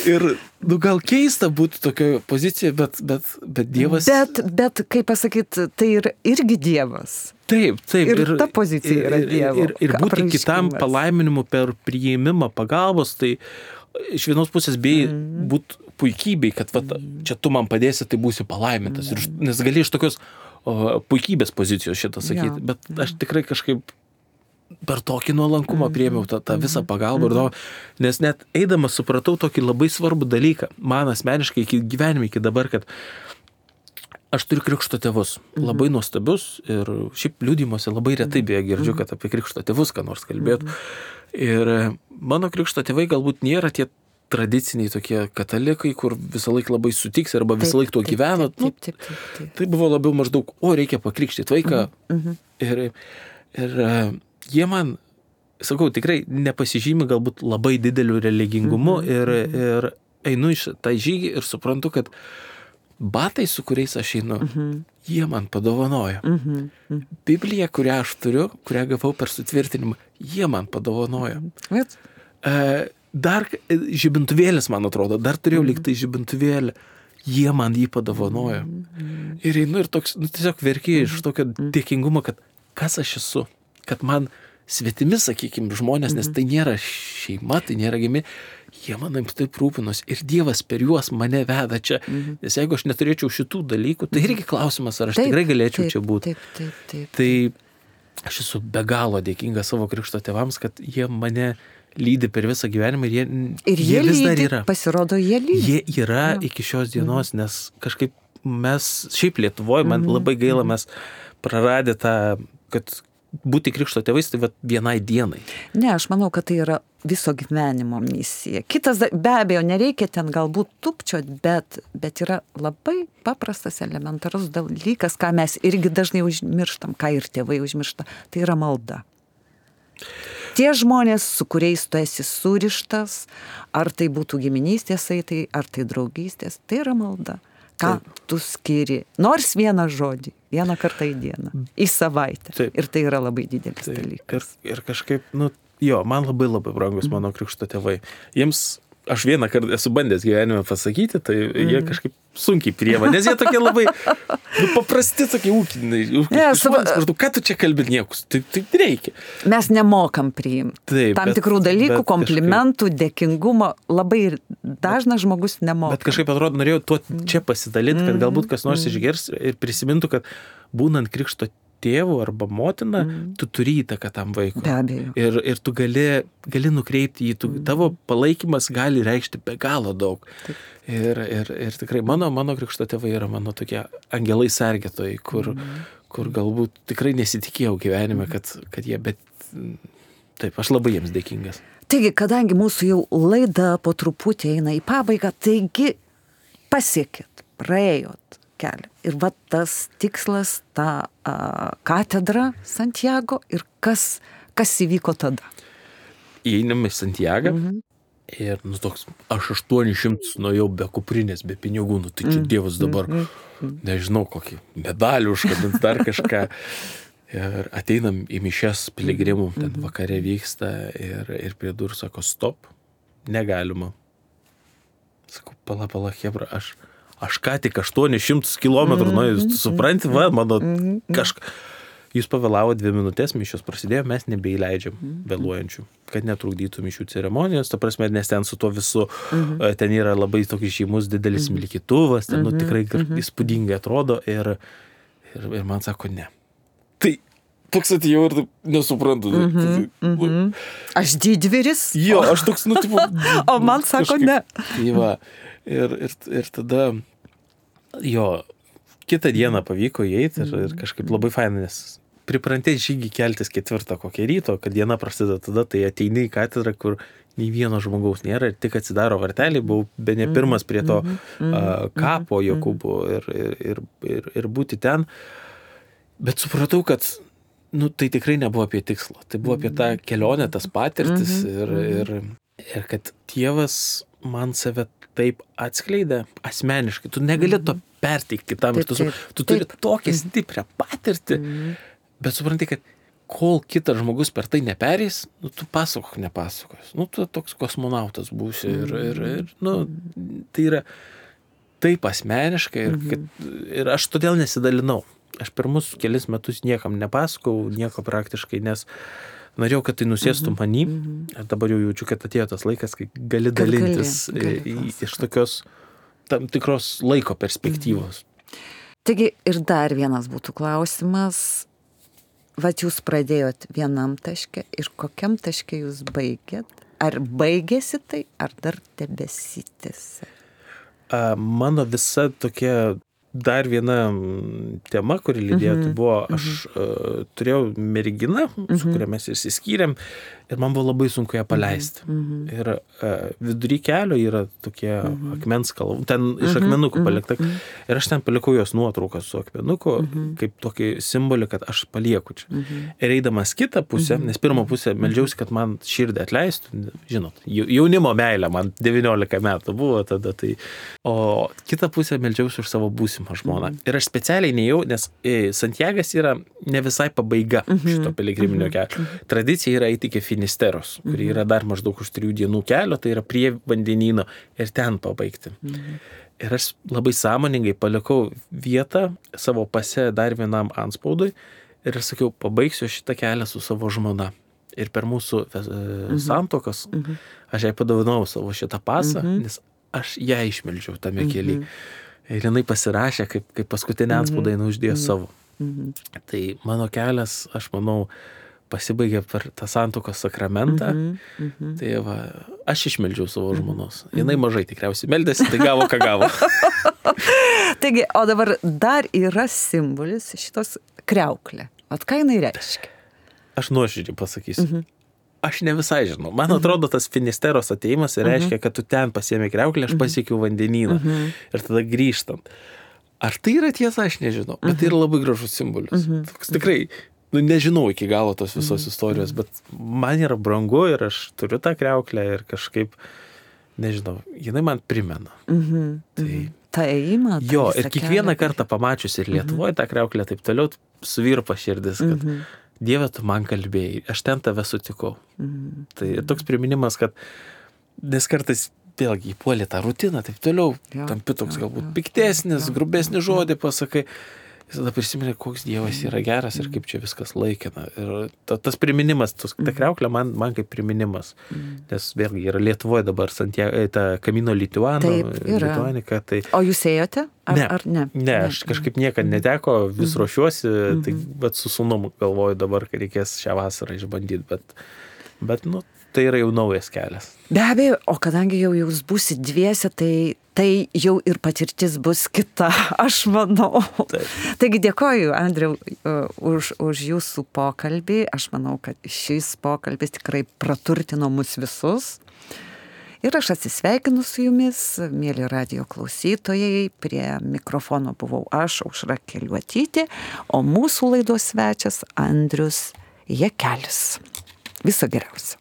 Ir, nu, gal keista būtų tokia pozicija, bet, bet, bet Dievas... Bet, bet, kaip pasakyti, tai ir, irgi Dievas. Taip, taip. Ir, ir ta pozicija yra Dievo. Ir, ir, ir būti kitam palaiminimu per priėmimą pagalbos, tai iš vienos pusės bei mm. būtų puikybei, kad va, čia tu man padėsi, tai būsi palaimintas. Ir, nes gali iš tokios o, puikybės pozicijos šitą sakyti, ja. Bet aš tikrai kažkaip per tokį nuolankumą priėmiau tą, tą visą pagalbą, ir to, nes net eidamas supratau tokį labai svarbų dalyką, man asmeniškai iki gyvenime, iki dabar, kad aš turiu krikšto tėvus, labai nuostabius, ir šiaip liudijimuose labai retai beje girdžiu, kad apie krikšto tėvus ką nors kalbėtų. Ir mano krikšto tėvai galbūt nėra tie tradiciniai tokie katalikai, kur visą laiką labai sutiks arba visą laiką tuo gyvena. Taip, taip, taip, taip, taip. Tai buvo labiau maždaug, o reikia pakrikštyti vaiką. Mhm. Ir, ir jie man, sakau, tikrai nepasižymi galbūt labai dideliu religingumu, mhm. ir, ir einu iš tą žygį ir suprantu, kad batai, su kuriais aš einu, mhm. jie man padovanojo. Mhm. Mhm. Biblija, kurią aš turiu, kurią gavau per sutvirtinimą, jie man padovanojo. Bet... E, dar žibintuvėlis, man atrodo, dar turėjau mm. liktai žibintuvėlį, jie man jį padovanojo. Mm. Ir einu ir toks, nu, tiesiog verkiai iš tokio mm. dėkingumo, kad kas aš esu, kad man svetimi, sakykime, žmonės, nes tai nėra šeima, tai nėra gimi, jie manim taip rūpinos ir Dievas per juos mane veda čia. Mm. Nes jeigu aš neturėčiau šitų dalykų, tai irgi klausimas, ar aš taip, tikrai galėčiau taip, čia būti. Taip, taip, taip, taip. Tai aš esu be galo dėkingas savo krikšto tėvams, kad jie mane lydi per visą gyvenimą ir jie, ir jie, jie vis lydi, dar yra. Pasirodo, jie lydi. Jie yra ja. Iki šios dienos, nes kažkaip mes, šiaip Lietuvoje, man mm-hmm. labai gaila, mes praradę tą, kad būti krikšto tėvais, tai va vienai dienai. Ne, aš manau, kad tai yra viso gyvenimo misija. Kitas, be abejo, nereikia ten galbūt tupčiot, bet, bet yra labai paprastas, elementarus dalykas, ką mes irgi dažnai užmirštam, ką ir tėvai užmiršta, tai yra malda. Tie žmonės, su kuriais tu esi surištas, ar tai būtų giminystės saitai, ar tai draugystės, tai yra malda. Ką Taip. Tu skiri, nors vieną žodį, vieną kartą į dieną, į savaitę. Taip. Ir tai yra labai didelis Taip. Dalykas. Ir, ir kažkaip, nu, jo, man labai labai brangus mm. mano krikšto tėvai. Jiems, aš vieną kartą esu bandęs gyvenime pasakyti, tai mm. jie kažkaip sunkiai priema, nes jie tokie labai nu, paprasti, tokie ūkiniai. Yes, va... Ką tu čia kalbi niekus? Tai, tai reikia. Mes nemokam priimti. Taip, tam bet, tikrų dalykų, komplimentų, kažkaip... dėkingumo. Labai dažnas žmogus nemoka. Bet kažkaip atrodo, norėjau tuo čia pasidalinti, kad galbūt kas nors mm. išgirs ir prisimintų, kad būnant krikšto tėvų arba motina, mm. tu turi įtaką tam vaikui. Be abejo. Ir, ir tu gali, gali nukreipti jį, tu, mm. tavo palaikymas gali reikšti be galo daug. Ir, ir, ir tikrai mano, mano krikšto tėvai yra mano tokie angelai sergėtojai, kur, mm. kur galbūt tikrai nesitikėjau gyvenime, kad, kad jie, bet taip, aš labai jiems dėkingas. Taigi, kadangi mūsų jau laida po truputį eina į pabaigą, taigi pasiekit, praėjot kelią. Ir va tas tikslas, ta a, katedra Santiago ir kas, kas įvyko tada? Įeinam į Santiagą Mhm. ir, nu, toks, aš aštuonis šimtus nuėjau be kuprinės, be pinigų, nu, tai čia mm. Dievas dabar, mm. nežinau, kokį medalį užkabins, dar kažką. Ir ateinam į mišias piligrimų, ten vakare vyksta ir, ir prie durų sako, stop, negalima. Sakau, pala, pala, hebra, aš, aš ką tik aštuonis šimtus kilometrų, nu, jūs supranti, va, mano kažką. jūs pavėlavo dvi minutės, mišios prasidėjo, mes nebeįleidžiam vėluojančių, kad netrukdytų mišių ceremonijos, ta prasme, nes ten su to visu, mhm. ten yra labai toks žymus didelis mhm. milkytuvas, ten nu, tikrai mhm. įspūdingai atrodo ir, ir, ir man sako, ne. Tai toks atėjau ir nesuprantu. Mhm. Mhm. Aš didvyris. Jo, aš toks, nu, tipo, o man sako, kažkaip, ne. Tai va, ir, ir, ir tada, jo, kitą dieną pavyko įeiti ir, ir kažkaip labai fainai, nes priprantė žygį keltis ketvirtą kokią ryto, kad diena prasideda tada, tai ateini į katedrą, kur nei vieno žmogaus nėra ir tik atsidaro varteliai, buvau be ne pirmas prie to uh, kapo Jokūbo ir, ir, ir, ir, ir būti ten. Bet supratau, kad nu, tai tikrai nebuvo apie tikslą, tai buvo apie tą kelionę, tas patirtis ir, ir, ir kad Dievas man save taip atskleidė asmeniškai, tu negali to perteikti kitam, taip, tu, taip, tu turi taip. Tokią stiprią patirtį, mm. bet supranti, kad kol kitas žmogus per tai neperės, nu, tu pasakok nepasakos, nu, tu toks kosmonautas būsi ir, ir, ir nu, tai yra taip asmeniškai ir, kad, ir aš todėl nesidalinau. Aš pirmus kelis metus niekam nepasakau, nieko praktiškai, nes norėjau, kad tai nusėstų manį. Ir dabar jau jaučiu, kad atėjo tas laikas, kai gali dalintis gali, gali iš tokios tam tikros laiko perspektyvos. Taigi ir dar vienas būtų klausimas. Vat jūs pradėjot vienam taške ir kokiam taške jūs baigėt? Ar baigėsi tai, ar dar tebesitėsi? Mano visa tokia dar viena tema, kuri lydėjo, tai buvo, aš uh, turėjau merginą, su kuria mes išsiskyrėm ir man buvo labai sunku ją paleisti. Ir uh, vidury kelio yra tokie akmens kalvų, ten iš akmenukų palikta. Ir aš ten palikau jos nuotrauką su akmenuku, kaip tokį simbolį, kad aš palieku čia. Ir eidamas kitą pusę, nes pirmą pusę meldžiausi, kad man širdį atleistų, žinot, jaunimo meilė, man devyniolika metų buvo tada, tai, o kitą pusę meldžiausi už savo būsimą žmoną. Ir aš specialiai neėjau, nes Santiagas yra ne visai pabaiga šito piligriminio kelio. Tradicija yra eiti iki Finisteros, kuri yra dar maždaug už trijų dienų kelio, tai yra prie vandenyno ir ten pabaigti. Ir aš labai sąmoningai palikau vietą savo pase dar vienam anspaudui ir aš sakiau, pabaigsiu šitą kelią su savo žmona. Ir per mūsų santuokas aš jai padovanau savo šitą pasą, nes aš ją išmeldžiau tame kelyje. Ir jinai pasirašė, kaip, kaip paskutinę anspaudą jinai uždėjo savo. Tai mano kelias, aš manau, pasibaigė per tą santuokos sakramentą. Mm-hmm, mm-hmm. Tai va, aš išmeldžiau savo žmonos. Jinai mažai tikriausiai meldėsi, tai gavo, ką gavo. Taigi, o dabar dar yra simbolis šitos kriauklė. Vat ką jinai reiškia? Aš nuoširdžiai pasakysiu. Mm-hmm. Aš ne visai žinau. Man atrodo, tas Finisteros atėjimas reiškia, kad tu ten pasiėmė kriauklę, aš pasiekiau vandenyną. Ir tada grįžtant. Ar tai yra tiesa, aš nežinau. Bet tai yra labai gražus simbolis. Toks tikrai, nu, nežinau iki galo tos visos istorijos, bet man yra brangu ir aš turiu tą kriauklę ir kažkaip, nežinau, jinai man primena. Tai... Ta ėjimą. Jo, ir kiekvieną kartą pamačius ir Lietuvoje tą kriauklę, taip toliau suvirpa širdis, kad Dieve, tu man kalbėjai, aš ten tave sutikau. Mm. Tai toks priminimas, kad nes kartais vėlgi įpuolė tą rutiną, taip toliau, jo, tampi toks jo, galbūt jo, piktesnis, jo, grubesnis žodį pasakai. Jis tada prisiminė, koks Dievas yra geras ir kaip čia viskas laikina. Ir ta, tas priminimas, tas, ta kriauklė man, man kaip priminimas. Mm. Nes vėlgi yra Lietuvoje dabar Santiago, ta Camino Lituano, Lituanika. Tai... O jūs ėjote? Ar ne, ar ne? Ne, aš kažkaip niekad neteko, vis ruošiuosi, mm. tai bet su sūnum galvoju dabar, kad reikės šią vasarą išbandyti, bet, bet nu, tai yra jau naujas kelias. Be abejo, o kadangi jau jūs būsit dviese, tai, tai jau ir patirtis bus kita, aš manau. Taip. Taigi dėkoju, Andriau, už, už jūsų pokalbį. Aš manau, kad šis pokalbis tikrai praturtino mus visus. Ir aš atsisveikinu su jumis, mėly radijo klausytojai. Prie mikrofono buvau aš, Aušra Keliuotytė, o mūsų laidos svečias Andrius Jakelis. Viso geriausio.